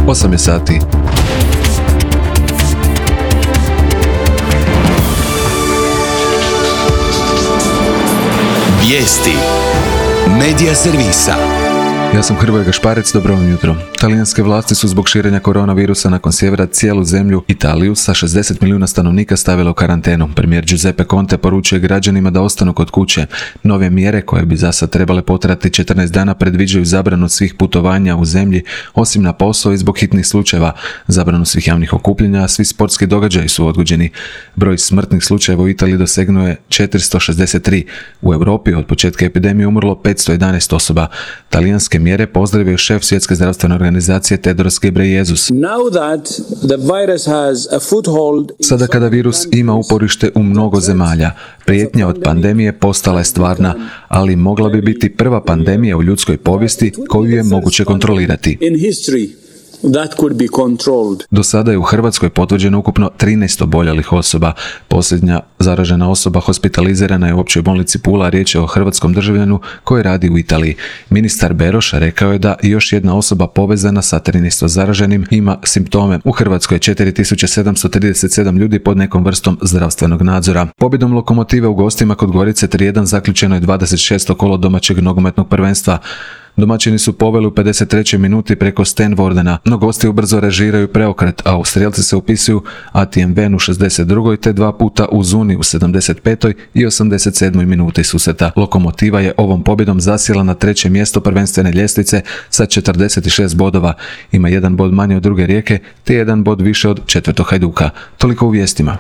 8 je sati. Vijesti Medija servisa. Ja sam Hrvoje Gašparec, dobro vam jutro. Talijanske vlasti su zbog širenja koronavirusa nakon sjevera cijelu zemlju Italiju sa 60 milijuna stanovnika stavile u karantenu. Premijer Giuseppe Conte poručuje građanima da ostanu kod kuće. Nove mjere, koje bi zasad trebale potrajati 14 dana, predviđaju zabranu svih putovanja u zemlji, osim na posao i zbog hitnih slučajeva, zabranu svih javnih okupljanja, a svi sportski događaji su odgođeni. Broj smrtnih slučajeva u Italiji dosegnuo je 463. U Europi od početka epidemije umrlo 511 osoba. Talijanske mjere pozdravio šef Svjetske zdravstvene organizacije Tedros Ghebreyesus. Sada kada virus ima uporište u mnogo zemalja, prijetnja od pandemije postala je stvarna, ali mogla bi biti prva pandemija u ljudskoj povijesti koju je moguće kontrolirati. Do sada je u Hrvatskoj potvrđeno ukupno 13 oboljelih osoba. Posljednja zaražena osoba hospitalizirana je u općoj bolnici Pula, riječ je o hrvatskom državljanu koji radi u Italiji. Ministar Beroš rekao je da još jedna osoba povezana sa 13 zaraženim ima simptome. U Hrvatskoj je 4737 ljudi pod nekom vrstom zdravstvenog nadzora. Pobjedom Lokomotive u gostima kod Gorice 3:1 zaključeno je 26. kolo domaćeg nogometnog prvenstva. Domaćini su poveli u 53. minuti preko Sten Wordena, no gosti ubrzo režiraju preokret, a Austrijalci se upisuju Atien Ven u 62. te dva puta u Zuni u 75. i 87. minuti susreta. Lokomotiva je ovom pobjedom zasjela na 3. mjesto prvenstvene ljestvice sa 46 bodova. Ima 1 bod manje od druge Rijeke te 1 bod više od 4. Hajduka. Toliko u vijestima.